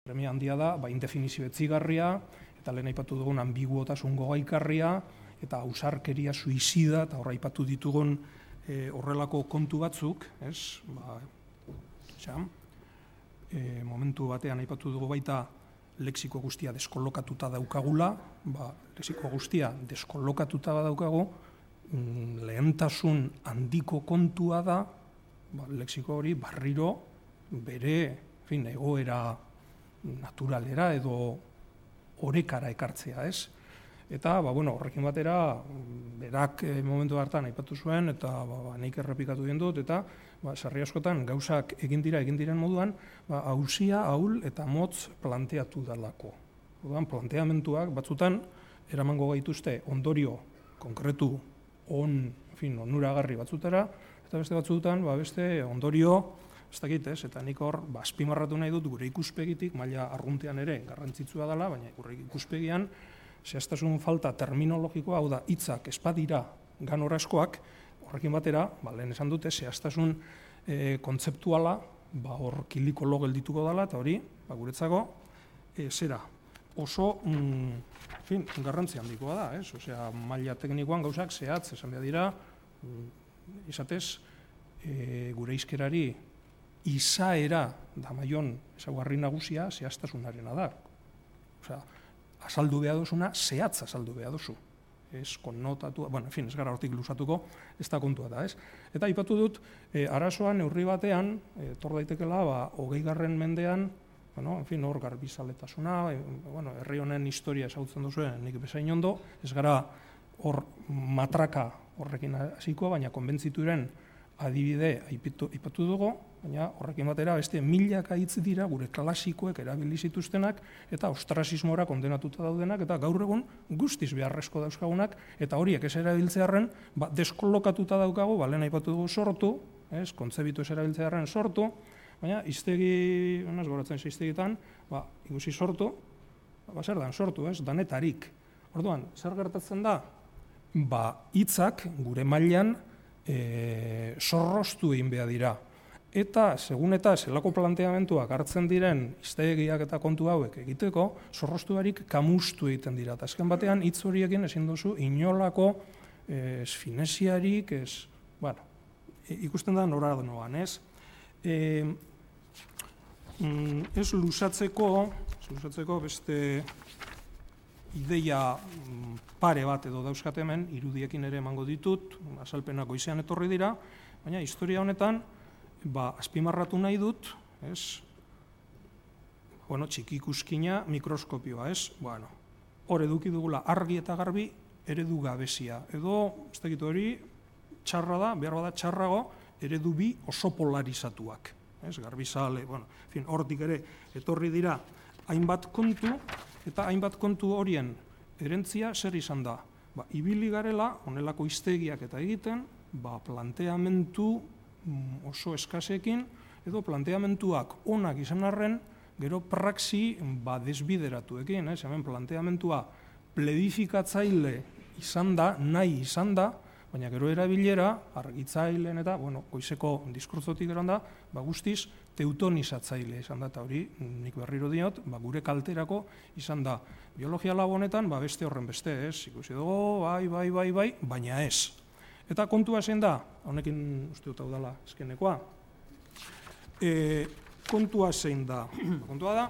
Premia handia da, indefinizio etzigarria, eta lehen aipatu dugun ambiguotasun gogaikarria, eta ausarkeria suizida, eta horra aipatu ditugun horrelako kontu batzuk, momentu batean aipatu dugu baita lexiko guztia deskolokatuta daukagula, lexiko guztia deskolokatuta daukagu, lehentasun handiko kontua da, lexiko hori barriro bere egoera naturalera edo orekara ekartzea, ez? Eta, horrekin batera, berak momentu hartan aipatu zuen, eta nik errepikatu den dut, eta sarri askotan gauzak egin diren moduan, auzia, ahul eta motz planteatu dalako. Planteamentuak batzutan eramango gaituzte ondorio konkretu onuragarri batzutara, eta beste batzutan beste ondorio ez dakit, eta nik hor azpimarratu nahi dut gure ikuspegitik, maila arruntean ere garrantzitsua dela, baina gure ikuspegian zehaztasun falta terminologikoa, hau da, hitzak ez badira ganorazkoak, horrekin batera, lehen esan dute, zehaztasun kontzeptuala, hor kilikolo geldituko dela, eta hori, guretzako, zera, oso garrantzi handikoa da, ez? Osea, maila teknikoan gauzak zehatz, esan behar dira, izatez, gure hizkerari izaera damaion ezaugarri nagusia zehaztasunarena da. Osea, azaldu behar duzuna, zehatz azaldu behar duzu. Ez konnotatu, ez gara hortik luzatuko, ez da kontua da, ez? Eta aipatu dut, arazoa neurri batean, etor daitekela, 20. mendean, hor garbizaletasuna, herri honen historia ezagutzen duzuen nik bezain ondo, ez gara hor matraka horrekin hasiko, baina konbentzituren adibide aipatu dugu, baina horrekin batera beste milaka hitz dira gure klasikoek erabili zituztenak eta ostrasismora kondenatuta daudenak eta gaur egun guztiz beharrezko dauzkagunak eta horiek ez erabiltzearren deskolokatuta daukagu, lehen aipatu dugu sortu, kontzebitu ez erabiltzearren sortu, baina hiztegi, goratzen hiztegitan, ikusi sortu, zer dan sortu, danetarik. Orduan, zer gertatzen da? Hitzak gure mailan zorroztu egin behar dira. Eta, segun eta zelako planteamentuak hartzen diren hiztegiak eta kontu hauek egiteko, zorroztu barik kamustu egiten dira. Eta azken batean, hitz horiekin ezin duzu inolako fineziarik, ikusten da nora noan, ez? Ez luzatzeko beste ideia pare bat edo dauzkat hemen, irudiekin ere emango ditut, azalpenak goizean etorri dira, baina historia honetan, azpimarratu nahi dut, txiki ikuskina mikroskopioa, hor eduki dugula argi eta garbi eredu gabezia, edo, ez dakit hori, txarra da, behar bada txarrago, eredu bi oso polarizatuak, garbizale, hortik ere etorri dira hainbat kontu, eta hainbat kontu horien erentzia zer izan da. Ibili garela, honelako hiztegiak eta egiten, planteamentu oso eskasekin, edo planteamentuak onak izan arren, gero praxi desbideratuekin. Hemen planteamentua pledifikatzaile izan da, nahi izan da, baina gero erabilera, argitzaileen eta, goizeko diskurtzotik eran da, guztiz teutonizatzaile izan da, eta hori, nik berriro diot, gure kalterako izan da. Biologia labo honetan, beste horren beste, ikusi dugu, bai, baina ez. Eta kontua zein da, honekin uste dut hau dela eskenekoa, kontua zein da, kontua da,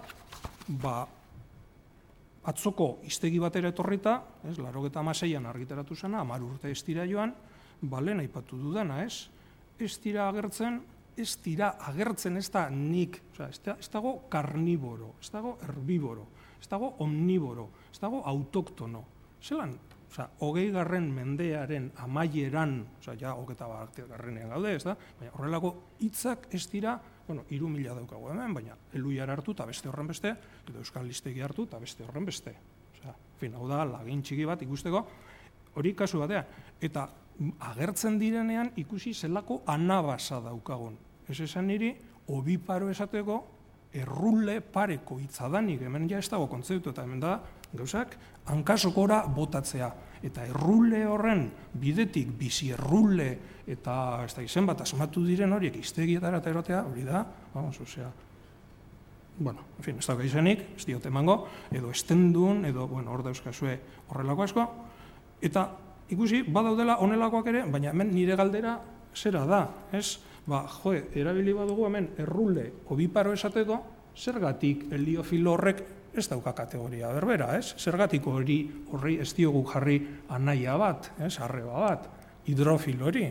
atzoko hiztegi batera etorrita, 96an argitaratu zena, 10 urte ez dira joan, lehen aipatu dudana, ez dira agertzen, ez da nik, ez dago karniboro, ez dago herbiboro, ez dago omniboro, ez dago autoktono. Zelan, 20. mendearen amaieran, ja 21. gaude, ez da, baina horrelako hitzak ez dira, 3.000 daukagu hemen, baina eluiar hartu eta beste horren beste, edo euskal listegi hartu eta beste horren beste. Hau da, lagin txiki bat ikusteko, hori kasu batean. Eta agertzen direnean ikusi zelako anabasa daukagun. Ez esan niri, obiparo esateko, errule pareko hitzadanik, hemen ja ez dago kontzeptu, eta hemen da, gauzak, hankasokora botatzea. Eta errule horren bidetik, bizi errule, eta ez da izen bat asmatu diren horiek, hiztegietara eta erotea, hori da, bueno, en fin, ez dauka izenik, ez diote emango, edo estendun, edo, bueno, hor dauzkazue horrelako asko, eta ikusi, badaudela honelakoak ere, baina hemen nire galdera zera da, ez? Erabili badugu hemen errule obiparo esateko, zergatik heliofilo horrek ez dauka kategoria berbera, ez? Zergatik horri ez diogu jarri anaia bat, ez? Arreba bat, hidrofilo hori.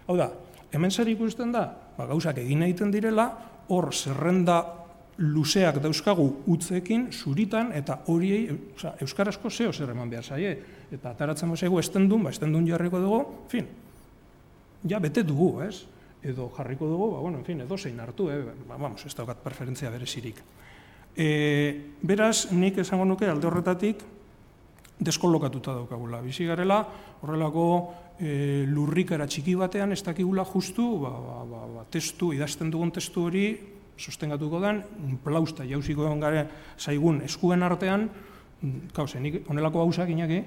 Hau da, hemen zer ikusten da, gauzak egin egiten direla, hor zerrenda luzeak dauzkagu utzekin, zuritan, eta horiei, euskarazko zeo zer eman behar zaie, eta ataratzen bazaigu estendun, estendun jarriko dugu, en fin, ja bete dugu, ez? Edo jarriko dugu, bueno, en fin, edo zein hartu, vamos, ez daukat preferentzia berezirik. Beraz, nik esango nuke alde horretatik deskolokatuta daukagula. Bizi garela, horrelako lurrikara txiki batean, ez dakigula justu, testu, idazten dugun testu hori, sostengatuko den, plausta jauziko egon gare zaigun eskuen artean, kauze, nik honelako gauzak inaki,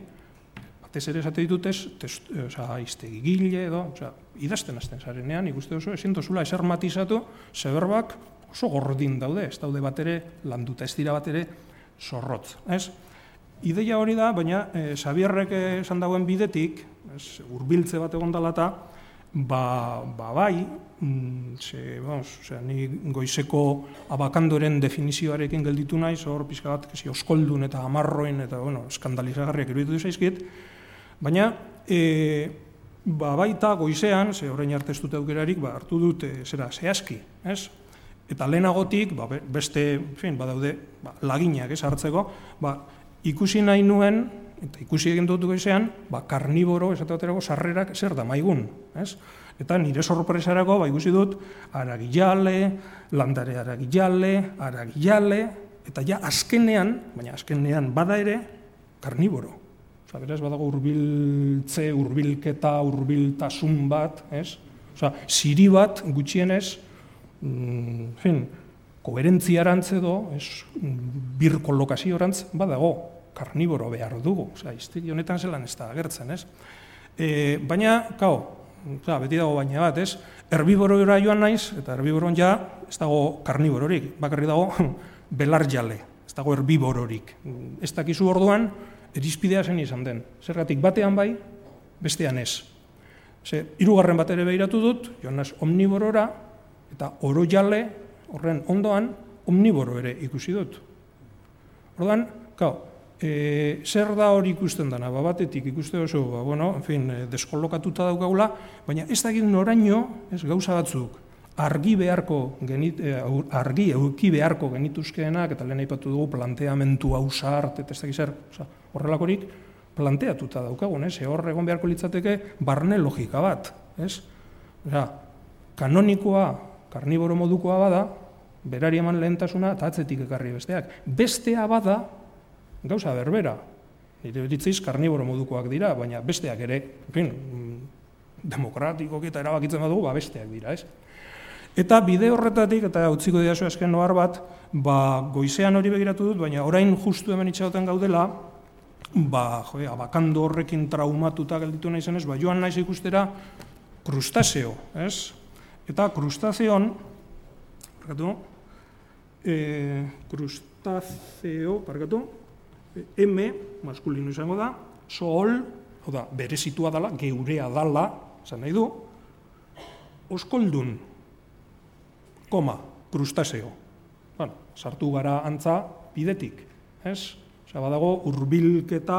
batez ere esate ditut iztegi gile edo, idazten azten zarenean, ikuste oso, ezin dozula eser matizatu, zeberbak oso gordin daude, ez daude bat ere landuta, ez dira bat ere zorrotz. Ideia hori da, baina Xabierrek esan dagoen bidetik, hurbiltze bat egon dela eta, bai, ni goizeko abakandoren definizioarekin gelditu naiz, hor pixka bat, oskoldun eta amarroin, eta, eskandalizagarriak iruditu zaizkit, baina, baita goizean, orain arte ez dut aukerarik, hartu dut zehazki, ez? Eta lehenagotik, beste, badaude, laginak ez hartzeko, ikusi nahi nuen, eta ikusi egin dut goizean, karniboro, esateaterako, sarrerak zer da maigun, ez? Eta nire sorpresarako, ikusi dut, aragillale, landare aragillale, eta ja azkenean, baina azkenean bada ere, karniboro. Beraz, badago hurbiltze, hurbilketa, hurbiltasun bat, ez? Ziri bat, gutxienez, koherentziarantz edo, birkolokazioarantz badago, karniboro behar dugu, iztegi honetan zelan ez da agertzen, ez? Baina, beti dago baina bat, ez? Herbiborora joan naiz, eta herbiboron ja ez dago karnibororik, bakarri dago belarjale, ez dago herbibororik. Ez dakizu orduan, erizpidea zen izan den. Zergatik batean bai, bestean ez. Hirugarren bat ere behiratu dut, joan naiz omniborora, eta orojale, horren ondoan, omniboro ere ikusi dut. Orduan, zer da hori ikusten dena, batetik ikuste oso, deskolokatuta daukagula, baina ez dakit noraino, gauza batzuk, argi euki beharko genituzkeenak, eta lehen aipatu dugu planteamentu hausart, eta ez dakit zer, horrelakorik planteatuta daukagun, hor egon beharko litzateke barne logika bat, kanonikoa, karniboro modukoa bada, berari eman lehentasuna, eta atzetik ekarri besteak. Bestea bada, gauza berbera, nire beritziz karniboro modukoak dira, baina besteak ere, demokratikok eta erabakitzen badugu, besteak dira, ez? Eta bide horretatik, eta utziko didazu azken noar bat, goizean hori begiratu dut, baina orain justu hemen itxagoten gaudela, abakando horrekin traumatuta gelditu nahi zenez, joan naiz ikustera krustazeo, ez? Eta krustazeon, M, maskulino izango da, sool, berezitua dala, geurea dala, zan nahi du, oskoldun, krustazeo. Sartu gara antza bidetik, ez? Badago, hurbilketa,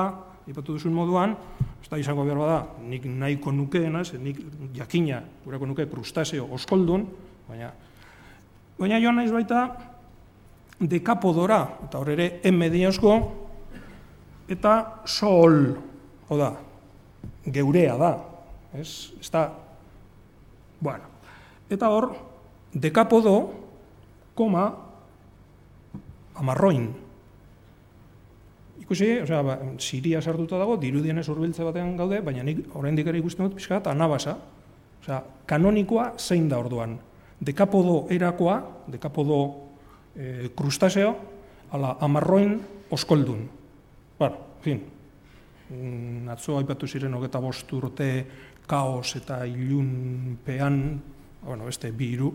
ipatu duzun moduan, ez da izango behar bada, nik nahiko nukeena, nik jakina, gurako nuke krustazeo oskoldun, baina joan naiz baita dekapodora, eta hor ere M diozko, eta sool, geurea da, ez da, eta hor, dekapodo, amarroin. Ikusi, Siria sartuta dago, dirudienez hurbiltze batean gaude, baina nik oraindik ere ikusten dut pixka bat anabasa. Kanonikoa zein da orduan. Dekapodo erakoa, dekapodo krustazeo, amarroin oskoldun. Atzo aipatu ziren 25 urte kaos eta ilunpean, beste 2 hiru,